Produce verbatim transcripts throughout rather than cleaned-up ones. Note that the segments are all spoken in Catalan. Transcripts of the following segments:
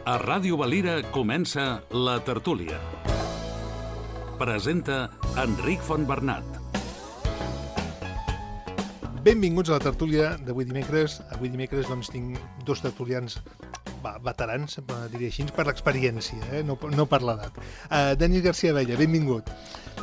A Ràdio Valira comença La Tertúlia. Presenta Enric Fontbernat. Benvinguts a La Tertúlia d'avui dimecres. Avui dimecres doncs, tinc dos tertulians va, veterans, diria així, per l'experiència, eh? no, no per l'edat. Uh, Denis García Abella, benvingut.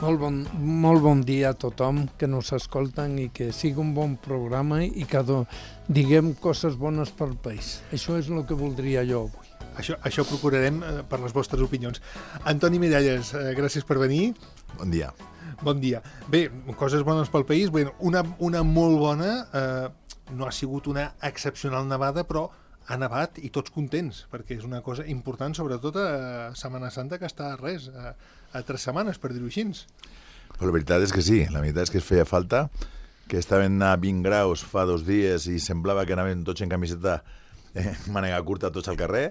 Molt bon, molt bon dia a tothom que nos escolten i que sigui un bon programa i que do, diguem coses bones pel país. Això és el que voldria jo avui. Això, això procurarem eh, per les vostres opinions. Antoni Miralles, eh, gràcies per venir. Bon dia. Bon dia. Bé, coses bones pel país. Bé, una, una molt bona, eh, no ha sigut una excepcional nevada, però ha nevat i tots contents, perquè és una cosa important, sobretot a Setmana Santa, que està a res, a, a tres setmanes, per dir-ho així. Però la veritat és que sí, la veritat és que es feia falta, que estaven a vint graus fa dos dies i semblava que anaven tots en camiseta eh, mànega curta tots al carrer,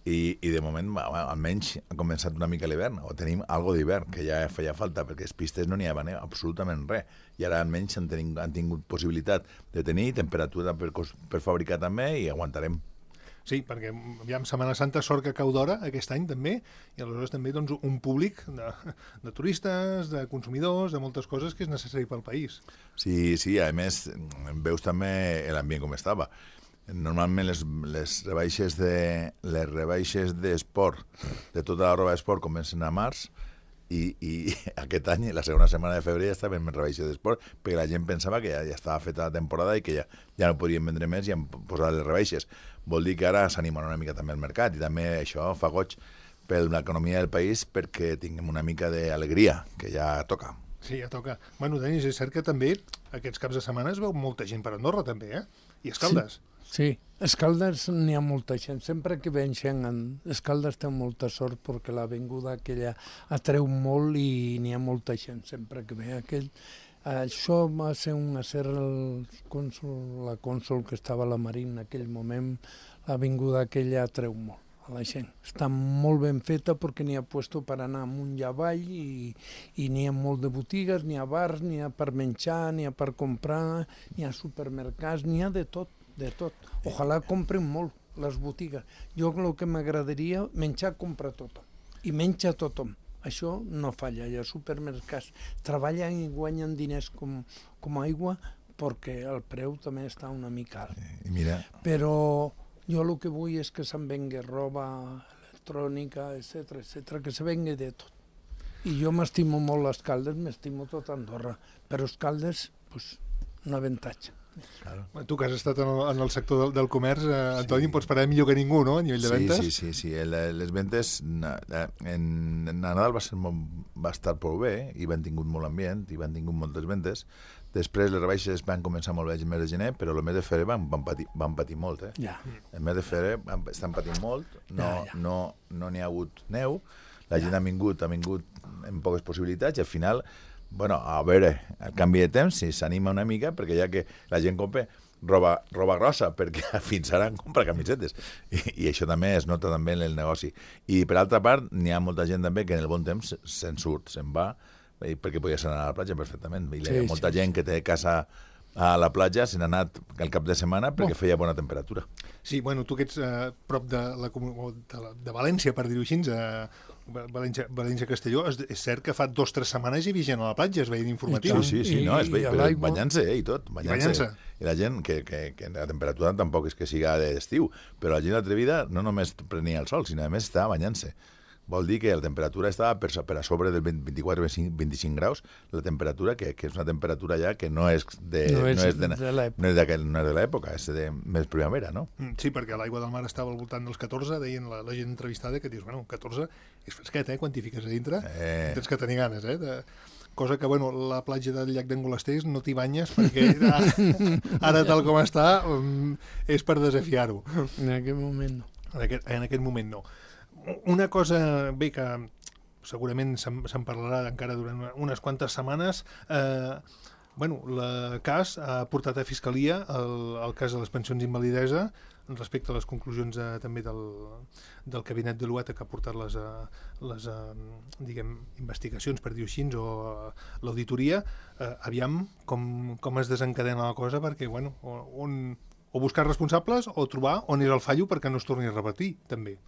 i, i de moment, bueno, almenys ha començat una mica l'hivern, o tenim algo d'hivern, que ja feia falta, perquè les pistes no n'hi havia eh, absolutament res, i ara almenys han, tenim, han tingut possibilitat de tenir temperatura per, per fabricar també, i aguantarem. Sí, perquè aviam, Setmana Santa, sort que cau d'hora aquest any també, i aleshores també doncs, un públic de, de turistes, de consumidors, de moltes coses que és necessari pel país. Sí, sí, a més, veus també l'ambient com estava. Normalment les, les rebaixes de les rebaixes d'esport, de tota la roba d'esport, comencen a març, i, i aquest any, la segona setmana de febrer, ja estaven en rebaixes d'esport, perquè la gent pensava que ja, ja estava feta la temporada i que ja, ja no podien vendre més i han posat les rebaixes. Vol dir que ara s'animarà una mica també el mercat, i també això fa goig per l'economia del país perquè tinguem una mica d'alegria, que ja toca. Sí, ja toca. Bueno, Denis, és cert que també aquests caps de setmana es veu molta gent per Andorra, també, eh? I Escaldes. Sí. Sí, Escaldes n'hi ha molta gent. Sempre que ven gent, Escaldes té molta sort perquè l'avinguda aquella atreu molt i n'hi ha molta gent sempre que ve. Aquell, això va ser un acer el cònsol, la cònsol que estava a la Marina en aquell moment, l'avinguda aquella atreu molt a la gent. Està molt ben feta perquè n'hi ha puesto per anar amunt i avall i, i n'hi ha molt de botigues, n'hi ha bars, n'hi ha per menjar, n'hi ha per comprar, n'hi ha supermercats, n'hi ha de tot. De tot. Ojalà compren molt les botigues. Jo el que m'agradaria, menjar compra tothom. I menja tothom. Això no falla. Hi ha supermercats. Treballen i guanyen diners com, com aigua perquè el preu també està una mica alt. I mira. Però jo el que vull és que se'n vengui roba electrònica, etcètera, etcètera, que se vengui de tot. I jo m'estimo molt les Caldes, m'estimo tot Andorra. Però les Caldes, pues, un avantatge. Claro. Tu que has estat en el, en el sector del, del comerç, eh, Antoni, sí. Em pots parar millor que ningú, no?, a nivell de sí, ventes. Sí, sí, sí. Les ventes en, en Nadal va, ser molt, va estar prou bé, i van tingut molt ambient, i van tingut moltes ventes. Després les rebaixes van començar molt bé el mes de gener, però el mes de febrer van, van, patir, van patir molt. Eh? Ja. El mes de febrer van, estan patint molt, no n'hi ja, ja. no, no ha hagut neu, la gent ja. ha vingut, ha vingut amb poques possibilitats, i al final... Bueno, a veure, el canvi de temps, si s'anima una mica, perquè ja que la gent compra roba, roba grossa, perquè fins ara compra camisetes. I, I això també es nota també en el negoci. I per altra part, n'hi ha molta gent també que en el bon temps se'n surt, se'n va, perquè podia anar a la platja perfectament. I sí, hi ha molta sí, gent sí. que té casa a la platja, se n'ha anat el cap de setmana perquè oh. feia bona temperatura. Sí, bueno, tu que ets eh, prop de, la, de, la, de València, per dir-ho així, eh, València, València Castelló, és, és cert que fa dos o tres setmanes hi havia gent a la platja, es veien informatius. Sí, sí, sí, no, es veia, però banyant-se eh, i tot. Banyant-se. I la gent, que, que, que la temperatura tampoc és que siga d'estiu, però la gent atrevida no només prenia el sol, sinó a més estava banyant-se. Vol dir que la temperatura estava per, per a sobre del vint-i-quatre a vint-i-cinc graus, la temperatura, que, que és una temperatura ja que no és de, no és no és de, de l'època, no és de, no és de l'època, és de més primavera, no? Sí, perquè l'aigua del mar estava al voltant dels catorze, deien la, la gent entrevistada, que dius, bueno, catorze és fresquet, eh, quan t'hi fiques a dintre, eh. tens que tenir ganes, eh, de... cosa que, bueno, la platja del llac d'Angolasters no t'hi banyes perquè ara, ara tal com està um, és per desafiar-ho. En aquest moment no. En aquest, en aquest moment no. Una cosa, bé, que segurament se'n, se'n parlarà encara durant unes quantes setmanes, eh, bueno, el cas ha portat a Fiscalia el, el cas de les pensions d'invalidesa respecte a les conclusions eh, també del, del Gabinet de l'U E T A que ha portat les, eh, les eh, diguem, investigacions, per dir-ho així, o eh, l'auditoria. Eh, aviam com, com es desencadena la cosa, perquè, bueno, on, o buscar responsables o trobar on és el fallo perquè no es torni a repetir, també.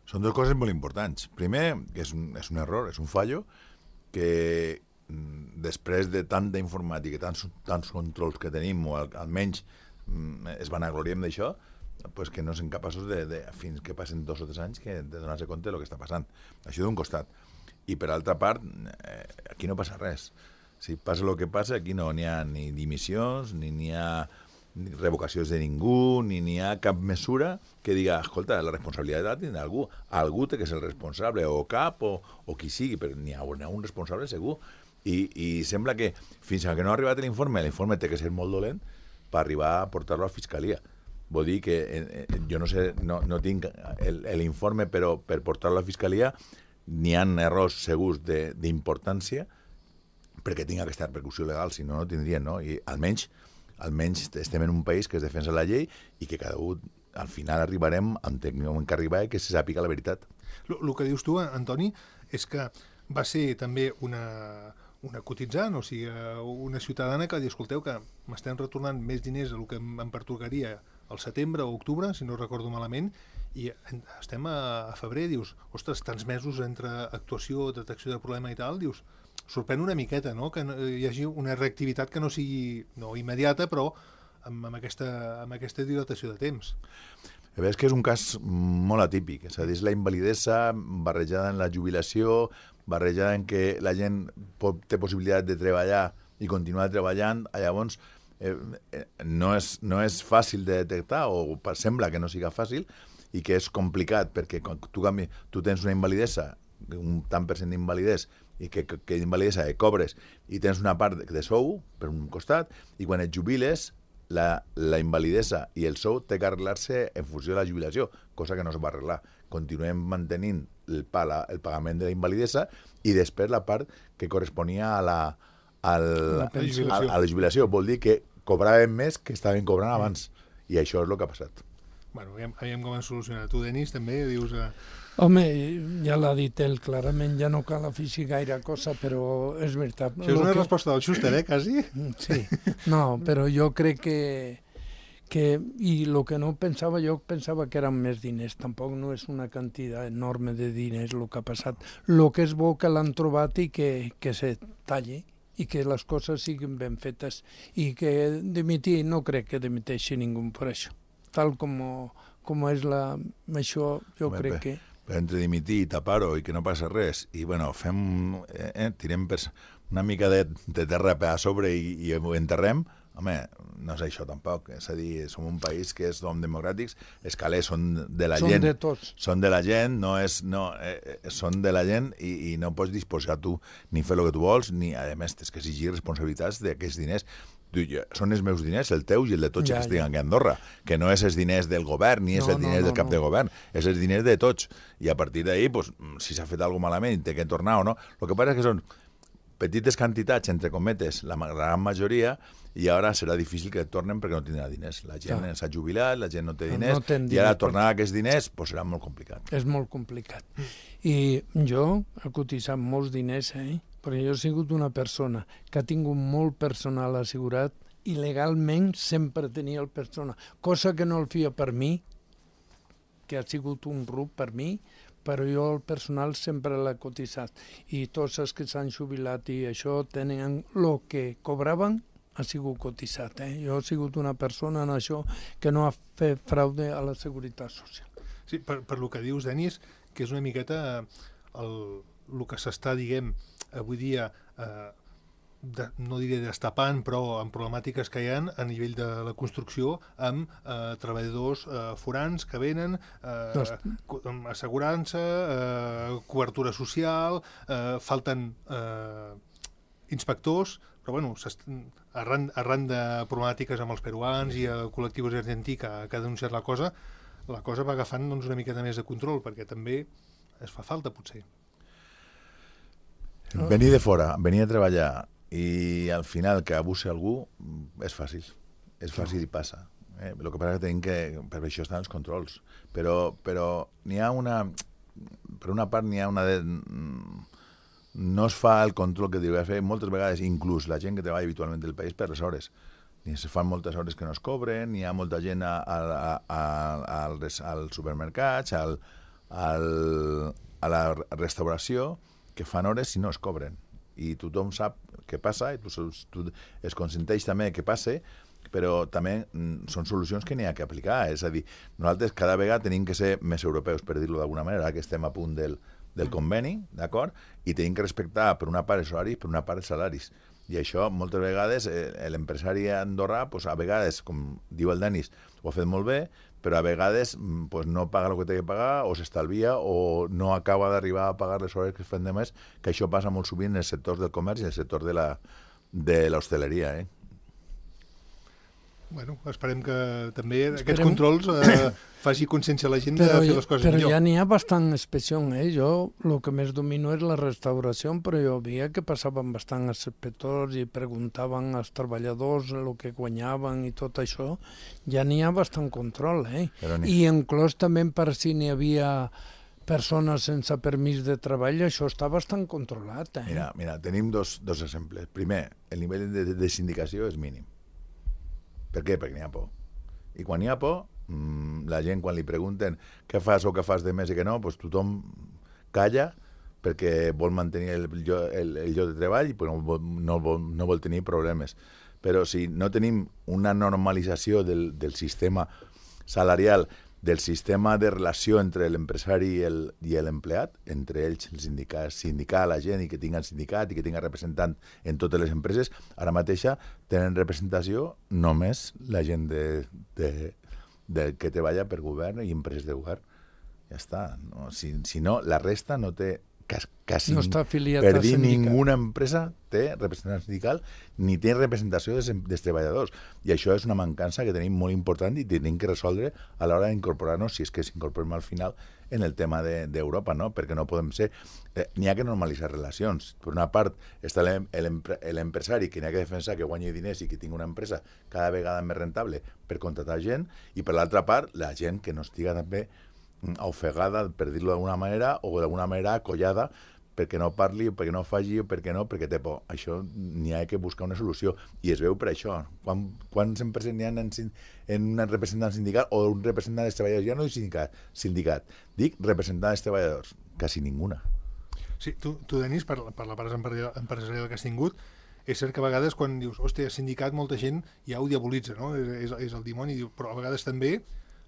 Són dues coses molt importants. Primer, que és un, és un error, és un fallo, que després de tanta informàtica, tants, tants controls que tenim, o al, almenys es vanagloriem d'això, pues que no són capaços de, de, fins que passen dos o tres anys, que de donar-se compte del que està passant. Això d'un costat. I per altra part, eh, aquí no passa res. Si passa el que passa, aquí no n'hi ha ni dimissions, ni n'hi ha ni revocacions de ningú, ni n'hi ha cap mesura que diga, escolta, la responsabilitat tindrà algú. Algú té que ser el responsable, o cap, o, o qui sigui, però n'hi ha, ha un responsable segur. I, I sembla que fins que no ha arribat l'informe, l'informe té que ser molt dolent per arribar a portar-lo a Fiscalia. Vol dir que eh, jo no sé, no, no tinc l'informe, però per portar-lo a Fiscalia n'hi ha errors segurs d'importància perquè tinga aquesta repercussió legal, si no, no tindrien, no? I almenys, almenys estem en un país que es defensa la llei i que cada un, al final arribarem on hem que arribar i que se sàpiga la veritat. El que dius tu, Antoni, és que va ser també una, una cotitzant, o sigui, una ciutadana que va dir, escolteu, que m'estem retornant més diners del que em pertocaria al setembre o octubre, si no recordo malament, i estem a, a febrer, dius, ostres, tants mesos entre actuació, detecció de problema i tal, dius, sorprèn una miqueta, no?, que hi hagi una reactivitat que no sigui, no immediata, però amb, amb, aquesta, amb aquesta dilatació de temps. És que és un cas molt atípic, és a dir, és la invalidesa barrejada en la jubilació, barrejada en què la gent pot, té possibilitat de treballar i continuar treballant, llavors eh, eh, no, és, no és fàcil de detectar, o sembla que no siga fàcil, i que és complicat, perquè quan tu, canvi, tu tens una invalidesa, un tant per cent d'invalidesa, i que, que, que invalidesa que cobres, i tens una part de sou, per un costat, i quan et jubiles, la, la invalidesa i el sou té que arreglar-se en funció de la jubilació, cosa que no es va arreglar. Continuem mantenint el, pala, el pagament de la invalidesa i després la part que corresponia a la, al, la a, a la jubilació. Vol dir que cobraven més que estaven cobrant abans. I això és el que ha passat. Bueno, aviam, aviam com es soluciona. Tu, Denis, també dius... Eh... Home, ja l'ha dit ell, clarament, ja no cal afegir gaire cosa, però és veritat. Això és una que... resposta del Schuster, eh, quasi? Sí, no, però jo crec que... que i el que no pensava, jo pensava que eren més diners, tampoc no és una quantitat enorme de diners el que ha passat. El que és bo que l'han trobat i que, que se talli i que les coses siguin ben fetes i que dimitir, no crec que dimiteixi ningú per això. Tal com, com és la... això, jo bé, crec bé. que... Però entre dimitir i tapar-ho i que no passa res, i bueno, fem, eh, tirem per una mica de, de terra per a sobre i, i ho enterrem, home, no és això tampoc. És a dir, som un país que som democràtics, els calés són de la són gent. De tots. Són de la gent, no és, no, eh, són de la gent i, i no pots disposar tu ni fer el que tu vols, ni, a més, tens que exigir responsabilitats d'aquests diners. Són els meus diners, el teu i el de tots ja, que estiguen aquí a Andorra, que no és els diners del govern ni és no, el diners no, no, del cap no. de govern, és els diners de tots. I a partir d'ahir, pues, si s'ha fet alguna cosa malament, té que tornar o no. El que passa és que són petites quantitats, entre cometes, la gran majoria, i ara serà difícil que tornen perquè no tindrà diners. La gent ja. s'ha jubilat, la gent no té diners, no i ara tornar a aquests diners pues, serà molt complicat. És molt complicat. I jo he cotitzat molts diners, eh? perquè jo he sigut una persona que ha tingut molt personal assegurat i legalment sempre tenia el personal, cosa que no el feia per mi, que ha sigut un rub per mi, però jo el personal sempre l'he cotitzat. I tots els que s'han jubilat i això tenen el que cobraven ha sigut cotitzat. Eh? Jo he sigut una persona en això que no ha fet fraude a la Seguretat Social. Sí, per, per lo que dius, Denis, que és una miqueta el, el que s'està, diguem, avui dia, eh, de, no diré destapant, però amb problemàtiques que hi ha a nivell de la construcció amb eh, treballadors eh, forans que venen, eh, amb assegurança, eh, cobertura social, eh, falten eh, inspectors, però bueno, arran, arran de problemàtiques amb els peruans i el col·lectiu argentí que, que ha denunciat la cosa, la cosa va agafant doncs, una miqueta més de control, perquè també es fa falta, potser. Venir de fora, venir a treballar i al final que abusi algú és fàcil, és fàcil i passa. Eh? El que passa és que tenim que, per això estan els controls, però, però n'hi ha una, per una part n'hi ha una de, no es fa el control que hauria de fer moltes vegades, inclús la gent que treballa habitualment del país per les hores. Ni se fan moltes hores que no es cobren, n'hi ha molta gent a, a, a, a, als, als supermercats, al, al, a la restauració que fan hores si no es cobren. I tothom sap què passa, i tu, tu es consenteix també que passe, però també mm, són solucions que n'hi ha que aplicar. És a dir, nosaltres cada vegada tenim que ser més europeus, per dir-ho d'alguna manera, que estem a punt del, del conveni, d'acord? I tenim que respectar per una part els horaris, per una part els salaris. I això, moltes vegades, eh, l'empresari andorrà, pues, a vegades, com diu el Denis, ho ha fet molt bé, però a vegades pues, no paga el que té que pagar, o s'estalvia, o no acaba d'arribar a pagar les hores que es fan de més, que això passa molt sovint en els sectors del comerç i en el sector de la, de l'hostaleria, eh? Bueno, esperem que també esperem... aquests controls eh, faci consciència a la gent però, de fer les coses però millor. Però ja n'hi ha bastant inspecció, eh? Jo el que més domino és la restauració, però jo veia que passaven bastant els inspectors i preguntaven als treballadors el que guanyaven i tot això. Ja n'hi ha bastant control, eh? Ni... I inclús també per si n'hi havia persones sense permís de treball, això està bastant controlat, eh? Mira, mira tenim dos, dos exemples. Primer, el nivell de, de sindicació és mínim. Per què? Perquè n'hi ha por. I quan n'hi ha por, mmm, la gent, quan li pregunten què fas o què fas de més i què no, doncs tothom calla perquè vol mantenir el, el, el lloc de treball i no vol, no, vol, no vol tenir problemes. Però si no tenim una normalització del, del sistema salarial, del sistema de relació entre l'empresari i l'empleat, entre ells el sindicat, sindicar la gent i que tinguin sindicat i que tinguin representant en totes les empreses, ara mateixa tenen representació només la gent de, de, de que treballa per govern i empreses de govern. Ja està. No? Si, si no, la resta no té quasi no està afiliat per dir ninguna empresa té representant sindical ni té representació dels, dels treballadors, i això és una mancança que tenim molt important i tenim que resoldre a l'hora d'incorporar-nos, si és que s'incorporem al final en el tema d'Europa, de, no? Perquè no podem ser eh, n'hi ha que normalitzar relacions. Per una part està l'empresari que n'hi ha que defensar que guanyi diners i que tingui una empresa cada vegada més rentable per contratar gent, i per l'altra part la gent que no estiga també ofegada, per dir-lo d'alguna manera, o d'alguna manera acollada perquè no parli, o perquè no faci, o perquè no, perquè té por. Això n'hi ha que buscar una solució, i es veu per això. Quan, quants empreses n'hi ha en, en un representant sindical o un representant dels treballadors? Ja no dic sindicat, sindicat, dic representant dels treballadors. Quasi ninguna. Sí, tu, tu Denis, per, per la part empresarial que has tingut, és cert que a vegades quan dius, hòstia, sindicat, molta gent ja ho diabolitza, no? És, és, és el dimoni, però a vegades també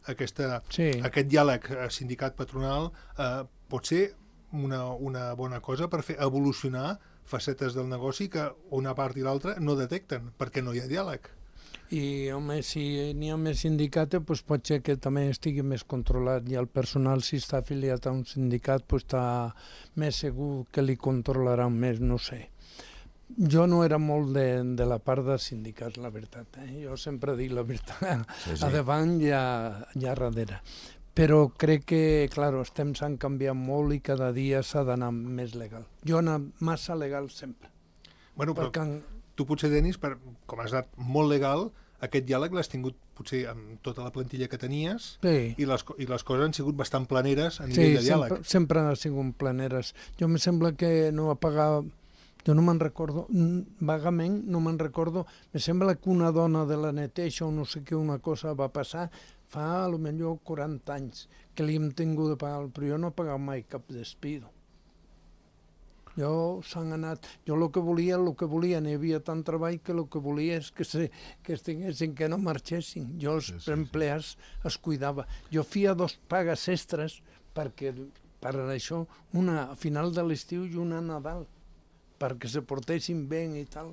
Aquesta, sí. aquest diàleg sindicat-patronal eh, pot ser una, una bona cosa per fer evolucionar facetes del negoci que una part i l'altra no detecten, perquè no hi ha diàleg. I, home, si n'hi ha més sindicat, doncs pot ser que també estigui més controlat, i el personal, si està afiliat a un sindicat, doncs està més segur que li controlaran més, no sé. Jo no era molt de, de la part de sindicats, la veritat. Eh? Jo sempre dic la veritat, sí, sí. A davant i a, i a darrere. Però crec que, clar, els temps han canviat molt i cada dia s'ha d'anar més legal. Jo he anat massa legal sempre. Bueno, però perquè... tu potser, Denis, per, com has anat molt legal, aquest diàleg l'has tingut potser amb tota la plantilla que tenies, sí. i, les, i les coses han sigut bastant planeres a nivell sí, de diàleg. Sí, sempre, sempre han sigut planeres. Jo em sembla que no va pagar... Jo no me'n recordo, vagament no me'n recordo, me sembla que una dona de la neteja o no sé què, una cosa va passar fa a lo millor quaranta anys que li hem tingut de pagar, però jo no he pagat mai cap despido. Jo s'han anat, jo el que volia, el que volia, n'hi havia tant treball que el que volia és que, se, que estiguessin, que no marxessin. Jo els sí, sí, empleats sí. es cuidava. Jo feia dos pagues extres perquè per això, una a final de l'estiu i una a Nadal, perquè se portessin bé i tal.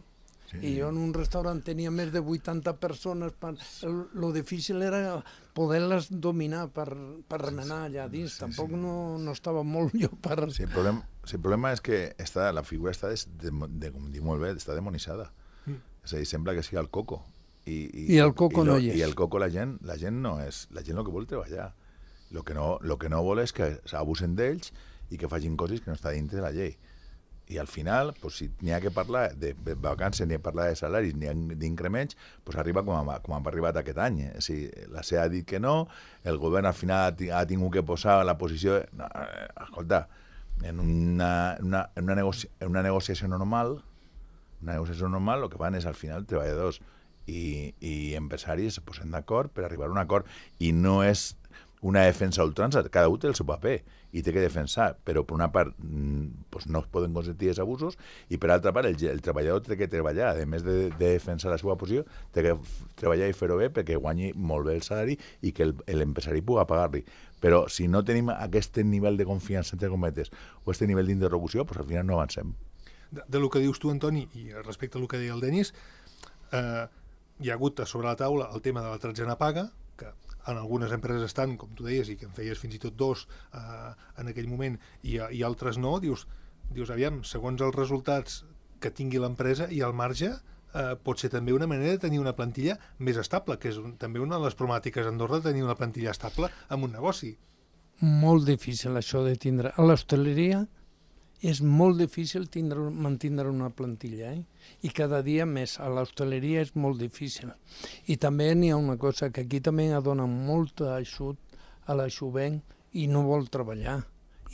Sí. I jo en un restaurant tenia més de vuitanta persones. Per... El, lo difícil era poder-les dominar per, per remenar allà dins. Sí, Tampoc sí. No, no estava molt jo per... Sí, el problema, sí, el problema és que està, la figura està, de, de, de, com dic molt bé, està demonitzada. Mm. És a dir, sembla que sigui el coco. I, i, I el coco i no lo, hi és. I el coco la gent, la gent no és... La gent el que vol treballar. El que no, lo que no vol és que s'abusen d'ells i que facin coses que no està dintre de la llei. I al final, pues, si n'hi ha que parlar de vacances, n'hi ha que parlar de salaris, n'hi ha d'increments, pues arriba com ha, com ha arribat aquest any. Eh? Si la C E A ha dit que no, el govern al final ha tingut que posar la posició... De... No, eh, escolta, en una, una, en, una negoci... en una negociació normal, una negociació normal, el que fan és al final treballadors i, i empresaris se posen d'acord per arribar a un acord, i no és una defensa a ultrança, cada un té el seu paper i té que defensar, però per una part pues, no es poden consentir els abusos i per altra part el, el treballador té que treballar, a més de, de defensar la seva posició, té que treballar i fer-ho bé perquè guanyi molt bé el salari i que l'empresari pugui pagar-li. Però si no tenim aquest nivell de confiança, entre cometes, o aquest nivell d'interlocució, pues, al final no avancem. De, de lo que dius tu, Antoni, i respecte a lo que deia el Denis, eh, hi ha hagut sobre la taula el tema de la tretzena paga, que en algunes empreses estan, com tu deies, i que en feies fins i tot dos eh, en aquell moment, i, i altres no, dius, dius, aviam, segons els resultats que tingui l'empresa i el marge, eh, pot ser també una manera de tenir una plantilla més estable, que és un, també una de les problemàtiques a Andorra, de tenir una plantilla estable en un negoci. Molt difícil això de tindre. A l'hostaleria és molt difícil tindre, mantindre una plantilla, eh? I cada dia més. A l'hostaleria és molt difícil. I també n'hi ha una cosa, que aquí també dona molt ajut a la jovent i no vol treballar.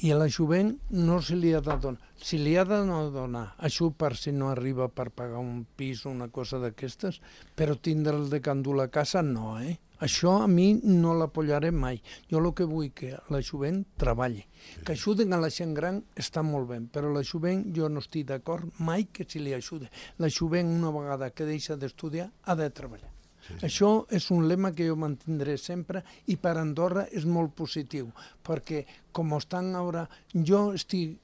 I a la jovent no se li ha de donar. Si li ha de no donar ajut per si no arriba per pagar un pis o una cosa d'aquestes, però tindre'l de candur a casa no, eh? Això a mi no l'apoyaré mai. Jo el que vull que la jovent treballi. Que ajuden a la gent gran està molt bé, però la jovent jo no estic d'acord mai que si li ajude. La jovent una vegada que deixa d'estudiar ha de treballar. Sí, sí. Això és un lema que jo mantindré sempre i per Andorra és molt positiu, perquè com estan ara, jo estic,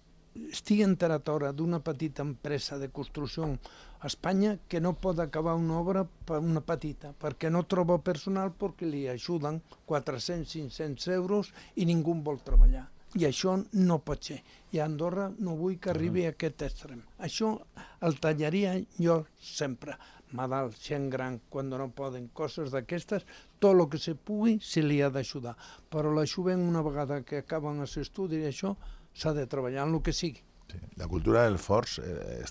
estic enterat ara d'una petita empresa de construcció a Espanya que no pot acabar una obra per una petita, perquè no troba personal perquè li ajuden quatre-cents a cinc-cents euros i ningú vol treballar. I això no pot ser. I a Andorra no vull que arribi a aquest extrem. Això el tallaria jo sempre. Malalt, gent gran, quan no poden, coses d'aquestes, tot el que se pugui se li ha d'ajudar. Però la jovent, una vegada que acaben els estudis i això, s'ha de treballar en el que sigui. Sí. La cultura del forç eh,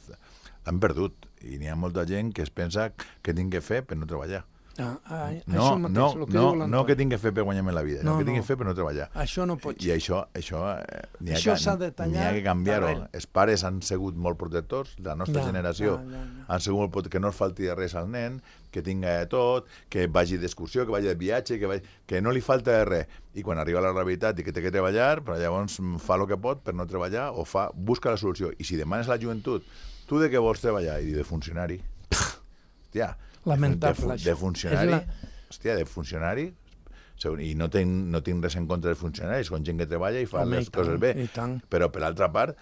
l'han perdut i n'hi ha molta gent que es pensa que tinc que fer per no treballar. Ah, ah, no, això mateix, no, el que no, diu l'Antoni. no que tinc que fer per guanyar-me la vida, no, no que tinc no. que fer per no treballar. Això no pot ser. I això, això, eh, n'hi ha, Això que, s'ha de tallar n'hi ha que canviar-ho. d'arrel. Els pares han sigut molt protectors, la nostra Ja, generació ja, ja, ja. han sigut molt protectors, que no es falti de res al nen, que tinga de tot, que vagi d'excursió, que vagi de viatge, que, vagi, que no li falta de res. I quan arriba la realitat i que té que treballar, però llavors fa el que pot per no treballar o fa, busca la solució. I si demanes a la joventut, tu de què vols treballar? I de funcionari. Hòstia, lamentable, de, de, de funcionari, la... hòstia, de funcionari, i no tinc, no tinc res en contra dels funcionaris, són gent que treballa i fa Home, les i coses tant, bé, i tant. però per l'altra part,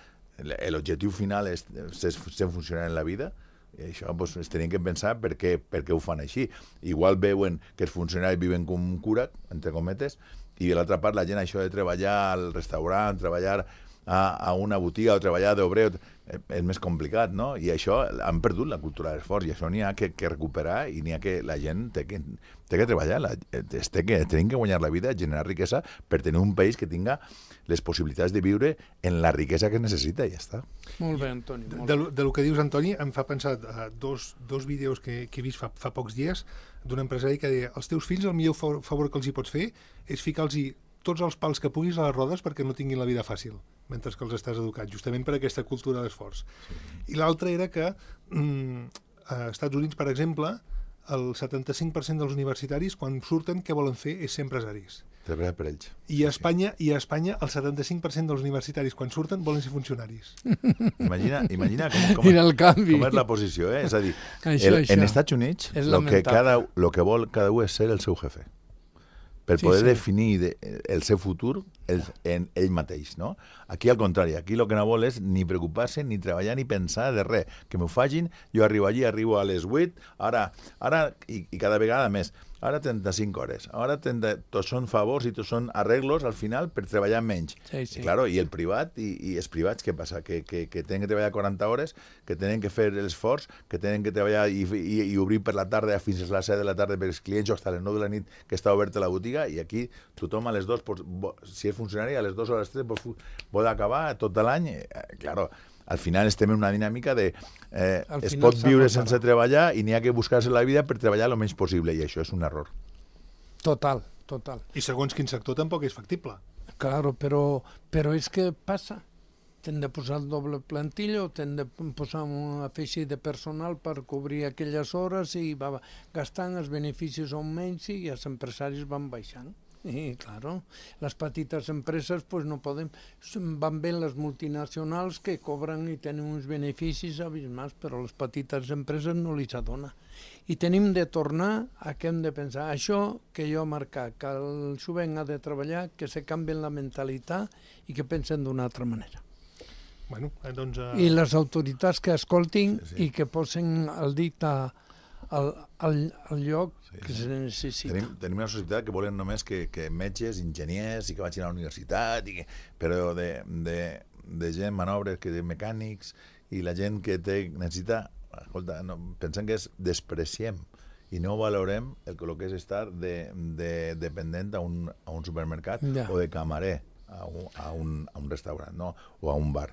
l'objectiu final és ser, ser funcionari en la vida, i això pues, es tenien que pensar per què, per què ho fan així. Igual veuen que els funcionaris viuen com un cura, entre cometes, i de l'altra part la gent això de treballar al restaurant, treballar a, a una botiga o treballar d'obrer és més complicat, no? I això han perdut la cultura de l'esforç i això n'hi ha que, que recuperar i n'hi ha que la gent té que, té que treballar, la, té que, tenim que guanyar la vida, generar riquesa per tenir un país que tinga les possibilitats de viure en la riquesa que necessita i ja està. Molt bé, Antoni. Molt de, de, de lo que dius, Antoni, em fa pensar uh, dos, dos vídeos que, que he vist fa, fa pocs dies d'un empresari que deia els teus fills el millor favor, favor que els hi pots fer és ficar-los tots els pals que puguis a les rodes perquè no tinguin la vida fàcil mentre que els estàs educant, justament per aquesta cultura d'esforç. Sí. I l'altre era que mm, a Estats Units, per exemple, el setanta-cinc per cent dels universitaris, quan surten, què volen fer és ser empresaris. Treballar per ells. I a Espanya, i a Espanya el setanta-cinc per cent dels universitaris, quan surten, volen ser funcionaris. Imagina, imagina com, com, Mira el canvi. com és la posició, eh? És a dir, això, el, això. en Estats Units, És lo que, cada, lamentable. lo que vol cada un és ser el seu jefe. Per Sí, poder sí. definir de, el seu futur el, en ell mateix, no? Aquí al contrari, aquí el que no vol és ni preocupar-se, ni treballar, ni pensar de res. Que m'ho facin, jo arribo allí, arribo a les vuit, ara, ara i, i cada vegada més, ara trenta-cinc hores, ara trenta, tots són favors i tots són arreglos al final per treballar menys. Sí, sí. I, claro, i el privat, i, i els privats, què passa? Que, que, que tenen que treballar quaranta hores, que tenen que fer l'esforç, que tenen que treballar i, i, i obrir per la tarda fins a les set de la tarda per als clients o fins a les nou de la nit que està oberta la botiga, i aquí tothom a les dues, si és funcionari, a les dues o a les tres pot acabar tot l'any. Eh, claro, al final estem en una dinàmica de eh, Al es final pot s'ha viure de sense parar. treballar i n'hi ha que buscar-se la vida per treballar el menys possible, i això és un error. Total, total. I segons quin sector tampoc és factible. Claro, però, però és que passa. T'hem de posar el doble plantilla o t'hem de posar un afegit de personal per cobrir aquelles hores i va gastant, els beneficis són menys i els empresaris van baixant. Sí, claro. Les petites empreses pues, no poden... Van bé les multinacionals que cobren i tenen uns beneficis abismals, però les petites empreses no li s'adona. I tenim de tornar a què hem de pensar. Això que jo he marcat, que el jovent ha de treballar, que se canvien la mentalitat i que pensen d'una altra manera. Bueno, doncs, uh... I les autoritats que escoltin sí, sí. i que posen el dit a, al, al, al lloc sí, que se necessita. Tenim, tenim una societat que volen només que, que metges, enginyers i que vagin a la universitat, i que, però de, de, de gent, manobres, que de mecànics, i la gent que té, necessita... Escolta, no, pensem que és despreciem i no valorem el, el que és estar de, de dependent a un, a un supermercat ja. o de camarer a un, a, un, a un restaurant, no? O a un bar.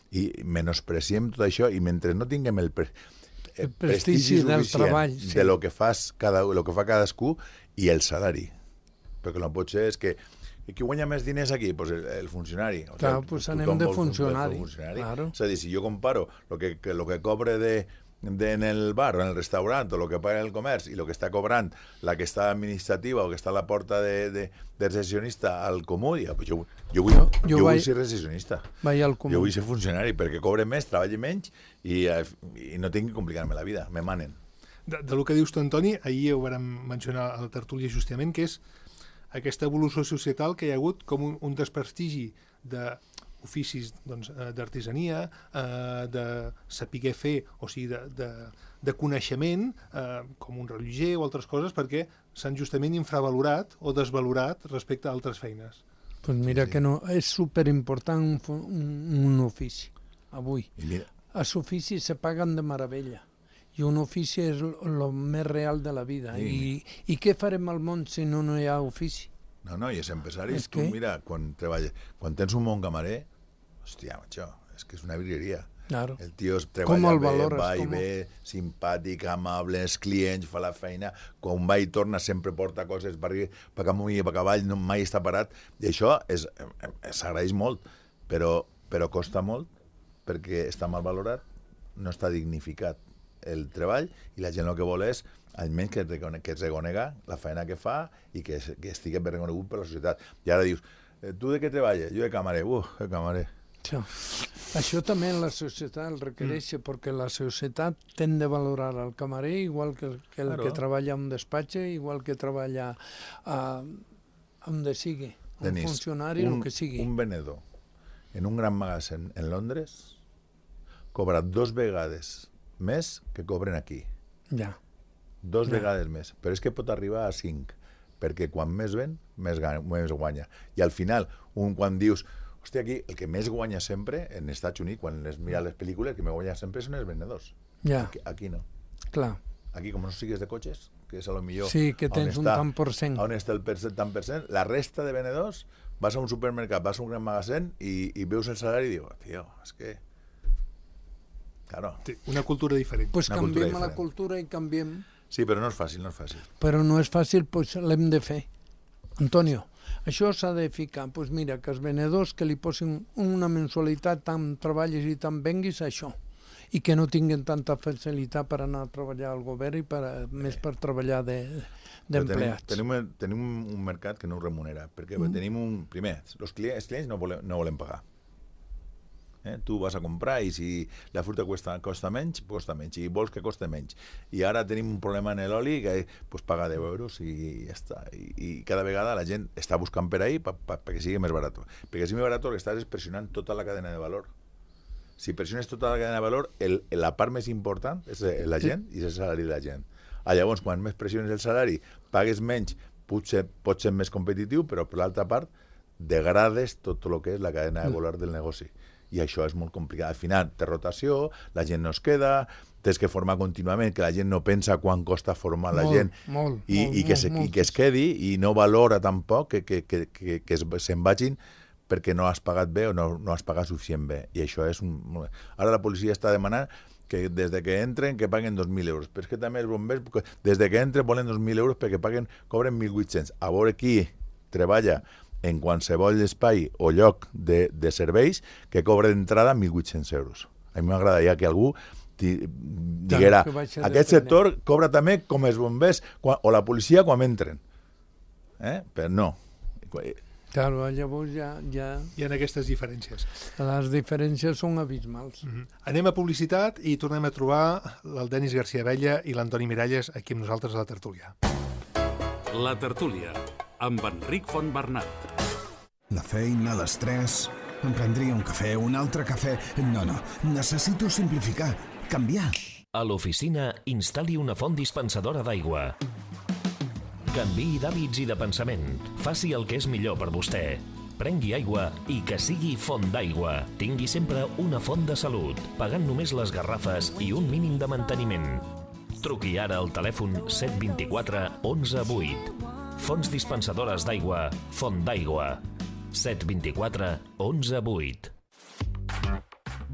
I menospreciem tot això i mentre no tinguem el, pre, el, el prestigi, prestigi del treball sí. de lo que, fas cada, lo que fa cadascú i el salari. Perquè no pot ser és que i qui guanya més diners aquí? Pues el, el funcionari. O clar, sea, pues anem de funcionari. funcionari. Claro. És a dir, si jo comparo lo que, que, lo que cobre de, de en el bar o en el restaurant o lo que paga en el comerç i lo que està cobrant la que està administrativa o que està a la porta de, de, de recessionista al comú, ja, pues jo, jo, vull, jo, jo, jo vull ser recessionista. Jo vull ser funcionari perquè cobre més, treballi menys i, i no tinc que complicar-me la vida, me manen. De, de lo que dius tu, Antoni, ahir ho vam mencionar a la tertúlia justament, que és aquesta evolució societal que hi ha hagut com un, un desprestigi d'oficis doncs, d'artesania, eh, de saber fer, o sigui, de, de, de coneixement, eh, com un rellotger o altres coses, perquè s'han justament infravalorat o desvalorat respecte a altres feines. Pues mira sí, sí. que no, és superimportant un, un, un ofici, avui. Els oficis se paguen de meravella. I un ofici és el més real de la vida. Sí. I, I què farem al món si no, no hi ha ofici? No, no, i els empresaris, tu mira, quan treballes, quan tens un bon camarer, hòstia, macho, és que és una virgueria. Claro. El tio treballa bé, valores, va i ve, simpàtic, amable, els clients, fa la feina, quan va i torna sempre porta coses per, per amunt i per avall, no, mai està parat, i això s'agraeix molt, però, però costa molt, perquè està mal valorat, no està dignificat el treball, i la gent el que vol és almenys que, que es reconega la feina que fa i que, que estigui ben reconegut per la societat. I ara dius, tu de què treballes? Jo de camarer. Uh, de camarer. Sí. Això també la societat el requereix, mm. perquè la societat tend a valorar el camarer igual que el que, el claro. que treballa en un despatx, igual que treballa a, on sigui, un Denis, funcionari, un, el que sigui. Un venedor en un gran magatzem en Londres cobra dos vegades més que cobren aquí. Ja. Dos ja. vegades més. Però és que pot arribar a cinc, perquè quan més ven, més, més guanya. I al final, un quan dius, hòstia, aquí el que més guanya sempre, en Estats Units, quan les mira les pel·lícules, el que més guanya sempre són els venedors. Ja. Aquí, aquí no. Clar. Aquí, com no sigues de cotxes, que és a lo millor... Sí, que tens un tant per cent. On està el tant per cent, la resta de venedors, vas a un supermercat, vas a un gran magatzem i, i veus el salari i dius, tio, és que... Claro. Una cultura diferent. Pues una canviem cultura la cultura i canviem... Sí, però no és fàcil, no és fàcil. Però no és fàcil, pues l'hem de fer. Antonio, això s'ha de ficar. Pues mira, que els venedors que li posin una mensualitat tant treballis i tant venguis, això. I que no tinguin tanta facilitat per anar a treballar al govern i per, més per treballar d'empleats. De, tenim, tenim un mercat que no ho remunera, perquè mm. tenim un... Primer, els clients, els clients no, volen, no volen pagar. Eh? Tu vas a comprar i si la fruita costa, costa menys, costa menys, i vols que costa menys. I ara tenim un problema en l'oli que pues, paga deu euros i ja està. I, i cada vegada la gent està buscant per ahí pa, pa, perquè sigui més barat. Perquè si més barat el que estàs és pressionant tota la cadena de valor. Si pressiones tota la cadena de valor, el, la part més important és la gent i és el salari de la gent. Ah, llavors, quan més pressiones el salari, pagues menys, potser pots ser més competitiu, però per l'altra part degrades tot el que és la cadena de valor del negoci. I això és molt complicat. Al final, té rotació, la gent no es queda, tens que formar contínuament, que la gent no pensa quan costa formar la molt, gent molt, i, molt, i, que se, molt, i que es quedi i no valora tampoc que, que, que, que, que se'n vagin perquè no has pagat bé o no, no has pagat suficient bé. I això és un... Ara la policia està demanant que des de que entren que paguen dos mil euros. Però és que també els bombers, des de que entren volen dos mil euros perquè paguen, cobren mil vuit-cents. A veure qui treballa en qualsevol espai o lloc de, de serveis que cobra d'entrada mil vuit-cents euros. A mi m'agradaria que algú diguera, aquest sector cobra també com els bombers quan, o la policia quan entren. Eh? Però no. Claro, llavors ja, ja... Hi ha aquestes diferències. Les diferències són abismals. Mm-hmm. Anem a publicitat i tornem a trobar el Denis García Abella i l'Antoni Miralles aquí amb nosaltres a la tertúlia. La tertúlia, amb Enric Fontbernat. La feina, l'estrès... Em prendria un cafè, un altre cafè... No, no, necessito simplificar, canviar. A l'oficina, instal·li una font dispensadora d'aigua. Canviï d'hàbits i de pensament. Faci el que és millor per vostè. Prengui aigua i que sigui font d'aigua. Tingui sempre una font de salut, pagant només les garrafes i un mínim de manteniment. Truqui ara al telèfon set dos quatre onze vuit. Fonts dispensadores d'aigua, Font d'Aigua. set dos quatre onze vuit.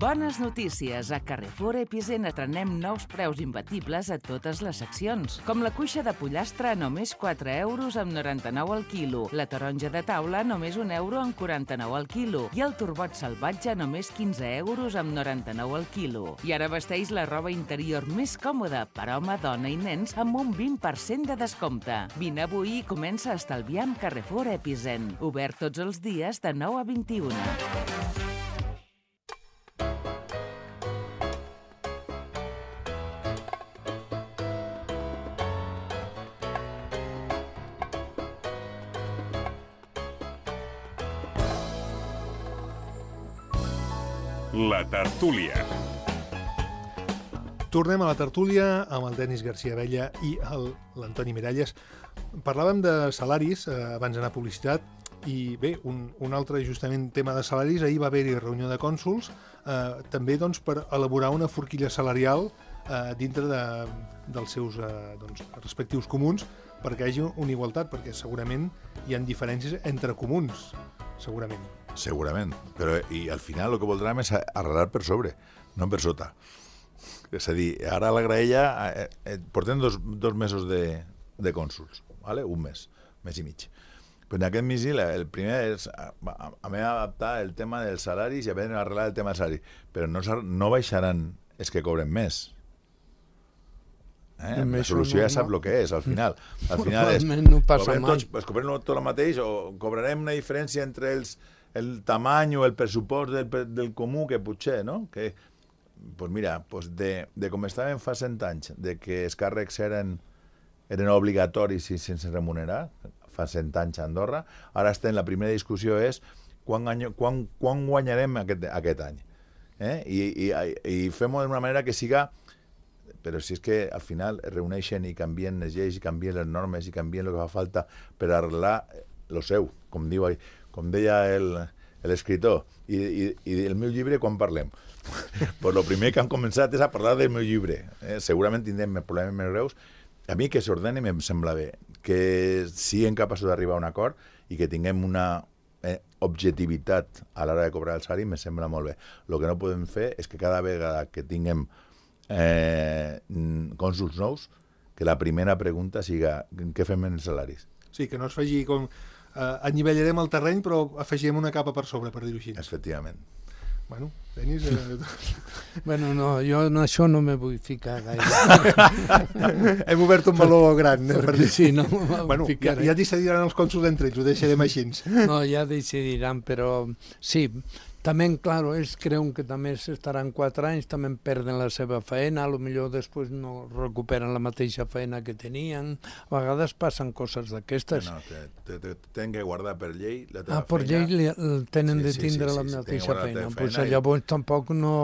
Bones notícies! A Carrefour Epicent estrenem nous preus imbatibles a totes les seccions, com la cuixa de pollastre a només quatre euros amb noranta-nou al quilo, la taronja de taula a només un euro amb quaranta-nou al quilo i el turbot salvatge a només quinze euros amb noranta-nou al quilo. I ara vesteix la roba interior més còmoda per home, dona i nens amb un vint per cent de descompte. Vine avui i comença a estalviar amb Carrefour Epicent. Obert tots els dies de nou a vint-i-una. La tertúlia. Tornem a la tertúlia amb el Denis García Abella i l'Antoni Miralles. Parlàvem de salaris eh, abans d'anar a publicitat i bé, un, un altre justament tema de salaris. Ahir va haver-hi reunió de cònsols eh, també doncs, per elaborar una forquilla salarial eh, dintre de, dels seus eh, doncs, respectius comuns perquè hi hagi una igualtat, perquè segurament hi ha diferències entre comuns, segurament. Segurament, però i al final el que voldrem és arreglar per sobre, no per sota. És a dir, ara a la graella eh, eh, portem dos, dos mesos de, de cònsols, ¿vale? Un mes, mes i mig. Però en aquest misil, el primer és a, a, a mi adaptar el tema dels salaris i a veure arreglar el tema del salari, però no, no baixaran els que cobren més. Eh? La solució ja sap el que és, al final. Al final és, no passa cobrem tots, pues, cobrem tot el mateix o cobrarem una diferència entre els, el tamany o el pressupost del, del comú que potser, no? Que, pues mira, pues de, de com estàvem fa cent anys, de que els càrrecs eren, eren obligatoris i sense remunerar, fa cent anys a Andorra, ara estem, la primera discussió és quan, any, quan, quan guanyarem aquest, aquest any. Eh? I, i, i fem-ho d'una manera que siga... Però si és que al final es reuneixen i canvien les lleis, i canvien les normes, i canvien el que fa falta per arreglar lo seu, com diu, com deia l'escriptor. I, i, I el meu llibre, quan parlem? Pues lo primer que han començat és a parlar del meu llibre. Eh? Segurament tindrem problemes més greus. A mi que s'ordeni em sembla bé, que siguem capaços d'arribar a un acord i que tinguem una eh, objectivitat a l'hora de cobrar el salari, me sembla molt bé. El que no podem fer és que cada vegada que tinguem Eh, cònsols nous, que la primera pregunta siga què fem en els salaris. Sí, que no es faci com eh, anivellarem el terreny però afegirem una capa per sobre, per dir-ho així. Efectivament. Bueno, Denis... Eh... bueno, no, jo en això no me vull ficar gaire. Hem obert un meló gran. Eh, per dir... Sí, no bueno, ja, ja decidiran els cònsols entre ells, ho deixarem així. No, ja decidiran, però sí... También, claro, ells creuen que també estaran quatre anys, també perden la seva feina, a lo millor després no recuperen la mateixa feina que tenien. A vegades passen coses d'aquestes. No, te, te, te, tenen que guardar per llei la ah, teva feina. per llei li, tenen sí, de tindre sí, sí, la sí, mateixa feina. Pues i... Llavors tampoc no,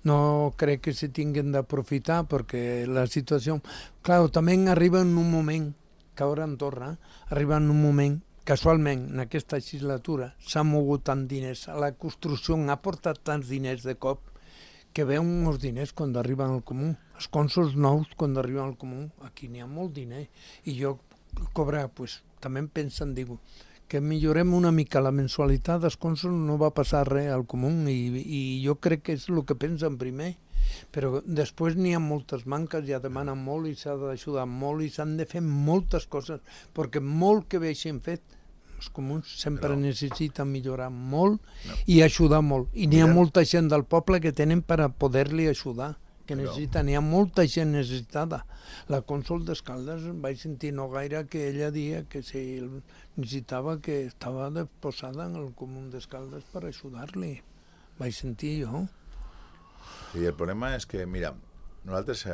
no crec que se tinguin d'aprofitar perquè la situació... Claro, també arriba en un moment, que ara en Torra, arriba en un moment casualment, en aquesta legislatura s'ha mogut tant diners, la construcció ha portat tants diners de cop que veuen uns diners quan arriben al comú. Els cònsols nous quan arriben al comú, aquí n'hi ha molt diner. I jo cobrar, pues, també em pensen, digo, que millorem una mica la mensualitat dels cònsols, no va passar res al comú i, i jo crec que és el que pensen primer. Però després n'hi ha moltes manques, ja demanen molt i s'ha d'ajudar molt i s'han de fer moltes coses, perquè molt que veixin fet, els comuns sempre no. necessiten millorar molt no. i ajudar molt. I n'hi ha molta gent del poble que tenen per a poder-li ajudar. que necessita, n'hi ha molta gent necessitada. La cònsol d'Escaldes vaig sentir no gaire que ella dia que si necessitava que estava posada en el comú d'Escaldes per ajudar-li. Vaig sentir jo. Sí, el problema és que, mira, nosaltres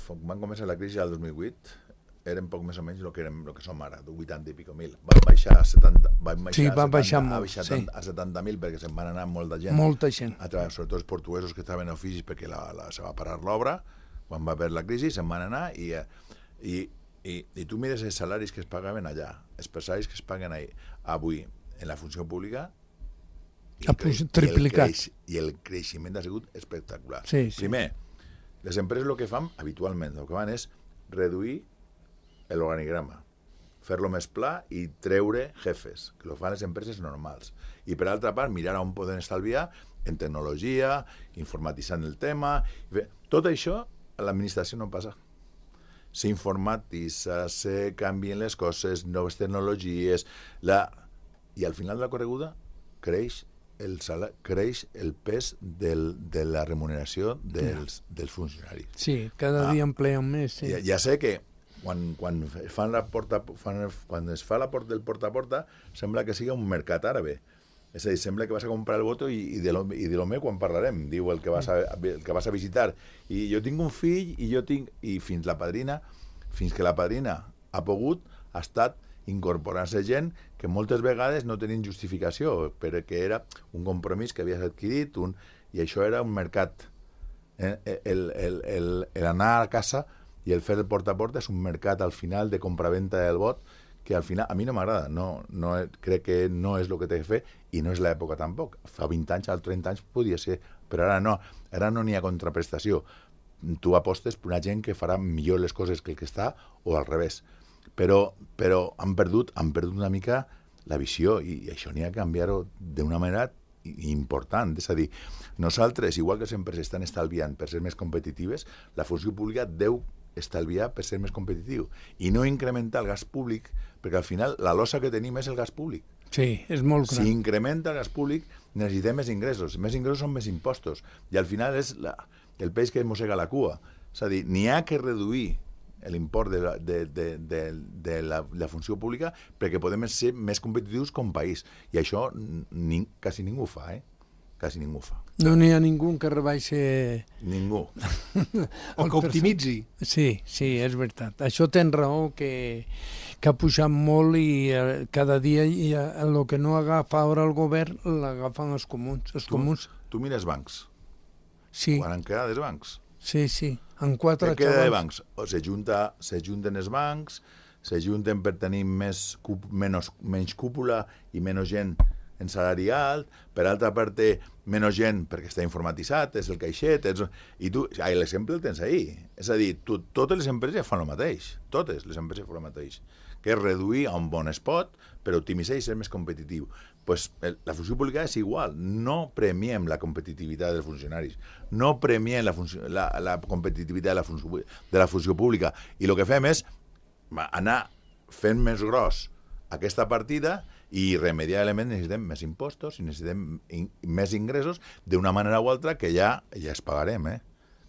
vam començar la crisi al dos mil vuit, eren poc més o menys el que, érem, el que som ara, vuitanta i pico mil. Van baixar a setanta, van baixar sí, van a baixar setanta, molt, a, sí. a setanta mil perquè se'n van anar molta gent. Molta gent. A través, sobretot els portuguesos que estaven a oficis perquè la, la, se va parar l'obra, quan va haver la crisi, se'n van anar i, i, i, i tu mires els salaris que es pagaven allà, els salaris que es paguen ahí, avui en la funció pública, i el, creix, triplicat. I el, creix, i el creixement ha sigut espectacular. Sí, sí. Primer, les empreses el que fan habitualment, el que fan és reduir l'organigrama, fer-lo més pla i treure jefes, que ho fan les empreses normals. I per altra part, mirar on poden estalviar en tecnologia, informatitzant el tema. Tot això a l'administració no passa. S'informatitza, se canvien les coses, noves tecnologies, la... i al final de la correguda creix el, sala... creix el pes del, de la remuneració dels, dels funcionaris. Sí, cada ah, dia empleen més. Sí. Ja, ja sé que quan, quan, fan la porta, fan, quan es fa la porta del porta a porta sembla que sigui un mercat àrabe. És a dir, sembla que vas a comprar el voto i, i, de lo, i de lo meu quan parlarem, diu el que, vas a, el que vas a visitar. I jo tinc un fill i jo tinc... I fins la padrina, fins que la padrina ha pogut, ha estat incorporant-se gent que moltes vegades no tenien justificació, perquè era un compromís que havies adquirit, un, i això era un mercat. El, el, el, el, el anar a casa i el fer el porta a porta és un mercat al final de compraventa del vot que al final a mi no m'agrada, no, no, crec que no és el que té que fer i no és l'època tampoc. Fa vint anys, als trenta anys podia ser, però ara no, ara no n'hi ha contraprestació. Tu apostes per una gent que farà millor les coses que el que està o al revés. Però, però han perdut, han perdut una mica la visió i, i això n'hi ha que canviar-ho d'una manera important. És a dir, nosaltres, igual que les empreses estan estalviant per ser més competitives, la funció pública deu estalviar per ser més competitiu i no incrementar el gas públic, perquè al final la losa que tenim és el gas públic. Sí, és molt gran. Si incrementa el gas públic, necessitem més ingressos. Més ingressos són més impostos. I al final és la, el peix que mossega la cua. És a dir, n'hi ha que reduir l'import de, la, de, de, de, de la, la funció pública perquè podem ser més competitius com a país. I això ni, quasi ningú fa, eh? Quasi ningú fa. No n'hi ha ningú que rebaixi... Ningú. O que optimitzi. Sí, sí, és veritat. Això tens raó que, que ha pujat molt i eh, cada dia i, eh, el que no agafa ara el govern l'agafen els comuns. Els tu, comuns. Tu mires bancs. Sí. Quan en queda dels bancs. Sí, sí. En quatre Què queda de xavals. bancs? O s'ajunta, s'ajunten els bancs, s'ajunten per tenir més, menys, menys cúpula i menys gent en salari alt, per altra part té menys gent perquè està informatitzat, és el caixet, és... i tu, ai, l'exemple el tens ahí. És a dir, tu, totes les empreses fan el mateix, totes les empreses fan el mateix, que és reduir a un bon spot per optimitzar i ser més competitiu. Pues, la funció pública és igual, no premiem la competitivitat dels funcionaris, no premiem la, funció, la, la competitivitat de la, funció, de la funció pública, i el que fem és anar fent més gros aquesta partida i irremediablement necessitem més impostos i necessitem in, més ingressos d'una manera o altra que ja, ja es pagarem, eh?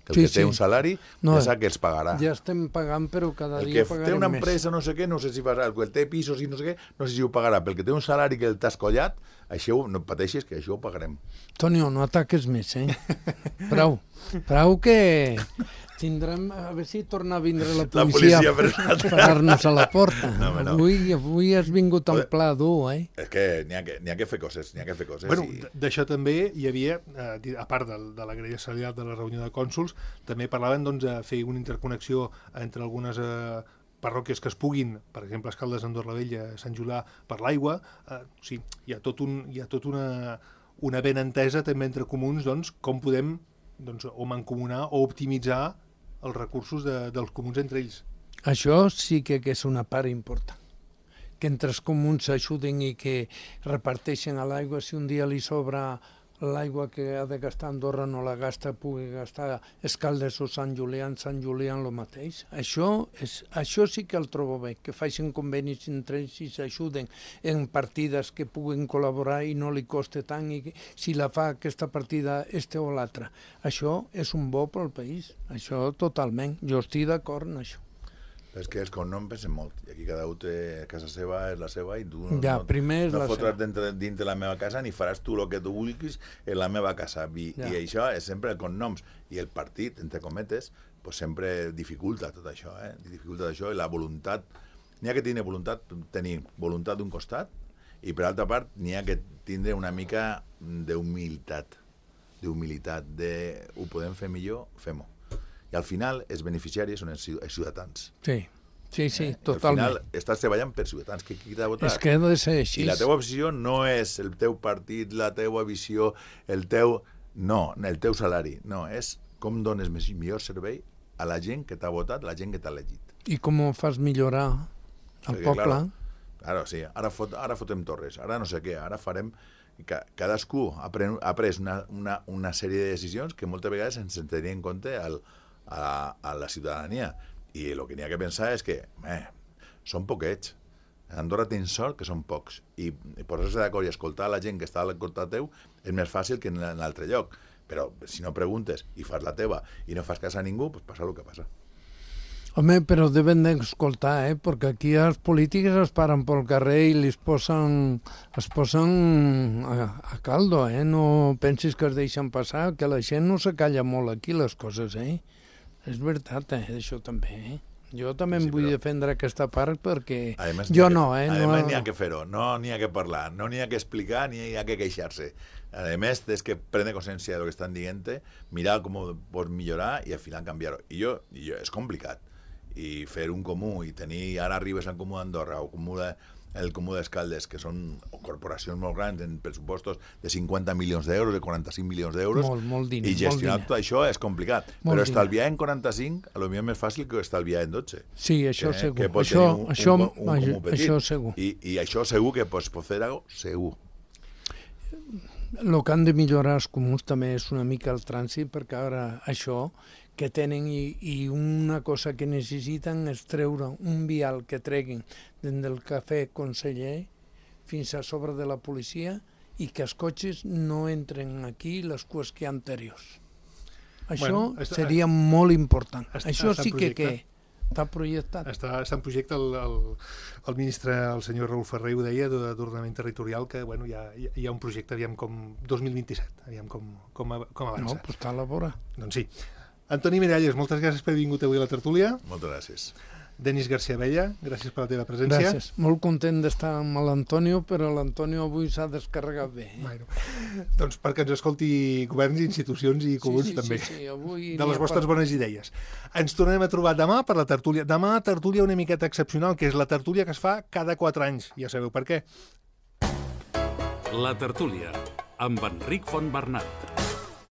Que el sí, que té sí. un salari no, ja sap que els pagarà. Ja estem pagant, però cada el dia pagarem més. El que té una empresa, més. no sé què, no sé si farà, el que té pisos i no sé què, no sé si ho pagarà. Pel que té un salari que el t'has collat, això no pateixis, que això ho pagarem. Tonio, no ataques més, eh? Prou. Prou que tindrem... A veure si torna a vindre la policia, la policia a parar-nos a la porta. No, no. Avui, avui has vingut en pla dur, eh? És que n'hi ha, ha que fer coses, n'hi ha que fer coses. Bueno, i... d'això també hi havia, eh, a part de, de la grella salarial de la reunió de cònsols, també parlaven doncs, de fer una interconnexió entre algunes eh, parròquies que es puguin, per exemple, Escaldes, Andorra la Vella, Sant Julià, per l'aigua. Eh, sí, hi ha tot, un, hi ha tot una, una ben entesa també entre comuns, doncs, com podem doncs, o mancomunar o optimitzar els recursos de, dels comuns entre ells. Això sí que, que és una part important. Que entre els comuns s'ajuden i que reparteixen a l'aigua si un dia li sobra l'aigua que ha de gastar Andorra no la gasta, pugui gastar Escaldes o Sant Julià, Sant Julià el mateix. Això, és, això sí que el trobo bé, que facin convenis entre ells i s'ajuden en partides que puguin col·laborar i no li coste tant i si la fa aquesta partida este o l'altra. Això és un bo pel país, això totalment. Jo estic d'acord en això. És que els cognoms pesen molt, i aquí cada un té casa seva, és la seva, i tu no, ja, no, primer no la fotràs dintre, dintre la meva casa ni faràs tu el que tu vulguis en la meva casa. I, ja. I això és sempre el cognoms. I el partit, entre cometes, pues sempre dificulta tot això, eh? Dificulta això, i la voluntat. N'hi ha que tenir voluntat, tenir voluntat d'un costat, i per altra part n'hi ha que tindre una mica d'humilitat, d'humilitat, de ho podem fer millor, fem-ho. I al final els beneficiaris són els ciutadans. Sí, sí, sí, eh? Al totalment. final estàs treballant per ciutadans, que qui t'ha votat. És que ha de ser així. I la teva visió no és el teu partit, la teua visió, el teu... No, el teu salari. No, és com dones millor servei a la gent que t'ha votat, a la gent que t'ha elegit. I com ho fas millorar al poble? Claro, claro, sí, ara, fot, ara fotem torres, ara no sé què, ara farem... Cadascú ha pres, ha pres una, una, una sèrie de decisions que moltes vegades ens en tenien en compte al, a, a la ciutadania. I el que n'hi ha que pensar és que eh, són poquets. A Andorra tens sort que són pocs. I, i posar-se d'acord i escoltar la gent que està al costat teu és més fàcil que en l'altre lloc. Però si no preguntes i fas la teva i no fas cas a ningú, pues passa el que passa. Home, però deben d'escoltar, eh? Perquè aquí els polítics es paren pel carrer i li posen, es posen a, a caldo, eh? No pensis que es deixen passar, que la gent no se calla molt aquí les coses, eh? És veritat, eh? Això també, eh? Jo també em sí, vull però... defendre aquesta part perquè además, jo no, eh? A més, no... n'hi ha que fer-ho, no n'hi ha que parlar, no n'hi ha que explicar, ni hi ha que queixar-se. A més, és que prendre consciència del que estan dient, mirar com ho pots millorar i al final canviar-ho. I jo, i jo, és complicat. I fer un comú i tenir, ara arribes al comú d'Andorra o comú de, el comú d'Escaldes, que són corporacions molt grans en pressupostos de cinquanta milions d'euros, de quaranta-cinc milions d'euros, molt, molt diner, i gestionar tot això és complicat. Molt però estalviar diner. En quaranta-cinc, a lo millor és més fàcil que estalviar en dotze. Sí, això que, segur. Que pot això, un, això, un, un, un això, això segur. I, I això segur que pots fer algo, segur. El que han de millorar els comuns també és una mica el trànsit, perquè ara això que tenen i, i una cosa que necessiten és treure un vial que treguin des del cafè Conseller fins a sobre de la policia i que els cotxes no entren aquí les cues que hi ha anteriors. Això bueno, està, seria molt important. Està, això sí que, que està projectat. Està, està en projecte el, el, el ministre, el senyor Raül Ferrer, ho deia, d'ordenament territorial, que bueno, hi, ha, hi ha un projecte, aviam com dos mil vint-i-set, aviam com, com, com avança. No, però està a la vora. Doncs sí. Antoni Miralles, moltes gràcies per haver vingut avui a la tertúlia. Moltes gràcies. Denis García Bella, gràcies per la teva presència. Gràcies. Molt content d'estar amb l'Antonio, però l'Antonio avui s'ha descarregat bé. Eh? Bueno, doncs perquè ens escolti governs, institucions i comuns sí, sí, també. Sí, sí, avui de les vostres per... bones idees. Ens tornem a trobar demà per la tertúlia. Demà tertúlia una miqueta excepcional, que és la tertúlia que es fa cada quatre anys. Ja sabeu per què. La tertúlia, amb Enric Fontbernat.